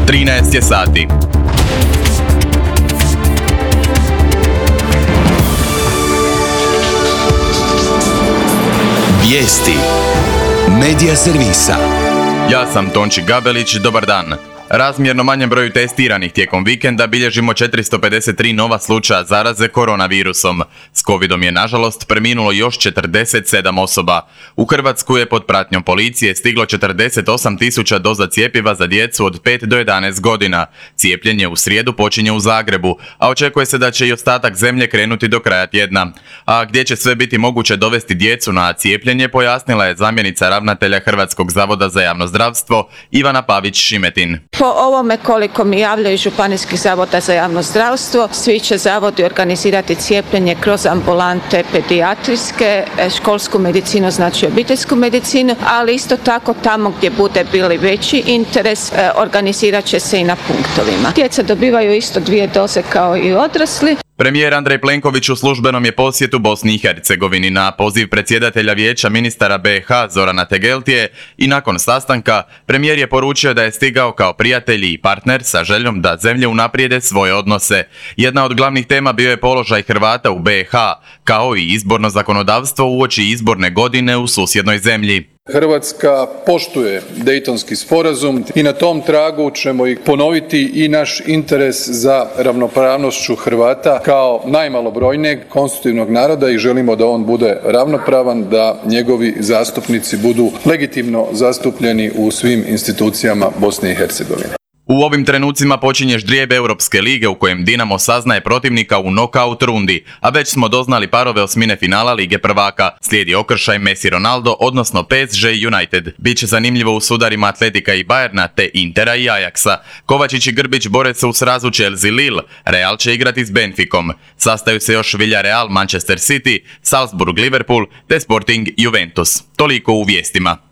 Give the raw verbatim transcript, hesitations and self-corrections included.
trinaest je sati. Vijesti Medija servisa. Ja sam Tonči Gabelić, dobar dan. Razmjerno manjem broju testiranih tijekom vikenda bilježimo četiristo pedeset tri nova slučaja zaraze koronavirusom. S covidom je nažalost preminulo još četrdeset sedam osoba. U Hrvatsku je pod pratnjom policije stiglo četrdeset osam tisuća doza cjepiva za djecu od pet do jedanaest godina. Cijepljenje u srijedu počinje u Zagrebu, a očekuje se da će i ostatak zemlje krenuti do kraja tjedna. A gdje će sve biti moguće dovesti djecu na cijepljenje, pojasnila je zamjenica ravnatelja Hrvatskog zavoda za javno zdravstvo Ivana Pavić-Šimetin. Po ovome koliko mi javljaju županijskih zavoda za javno zdravstvo, svi će zavodi organizirati cijepljenje kroz ambulante pedijatrijske, školsku medicinu, znači obiteljsku medicinu, ali isto tako tamo gdje bude bili veći interes, organizirat će se i na punktovima. Djeca dobivaju isto dvije doze kao i odrasli. Premijer Andrej Plenković u službenom je posjetu Bosni i Hercegovini na poziv predsjedatelja Vijeća ministara B i H Zorana Tegeltije i nakon sastanka premijer je poručio da je stigao kao prijatelj i partner sa željom da zemlje unaprijede svoje odnose. Jedna od glavnih tema bio je položaj Hrvata u B i H, kao i izborno zakonodavstvo uoči izborne godine u susjednoj zemlji. Hrvatska poštuje Dejtonski sporazum i na tom tragu ćemo i ponoviti i naš interes za ravnopravnošću Hrvata kao najmalobrojnijeg konstitutivnog naroda i želimo da on bude ravnopravan, da njegovi zastupnici budu legitimno zastupljeni u svim institucijama Bosne i Hercegovine. U ovim trenucima počinje ždrijeb Europske lige u kojem Dinamo saznaje protivnika u nokaut rundi, a već smo doznali parove osmine finala Lige prvaka. Slijedi okršaj Messi Ronaldo, odnosno P S G United. Biće zanimljivo u sudarima Atletika i Bayerna te Intera i Ajaxa. Kovačić i Grbić bore se u srazu Chelsea Lille, Real će igrati s Benficom. Sastaju se još Villarreal Manchester City, Salzburg Liverpool te Sporting Juventus. Toliko u vijestima.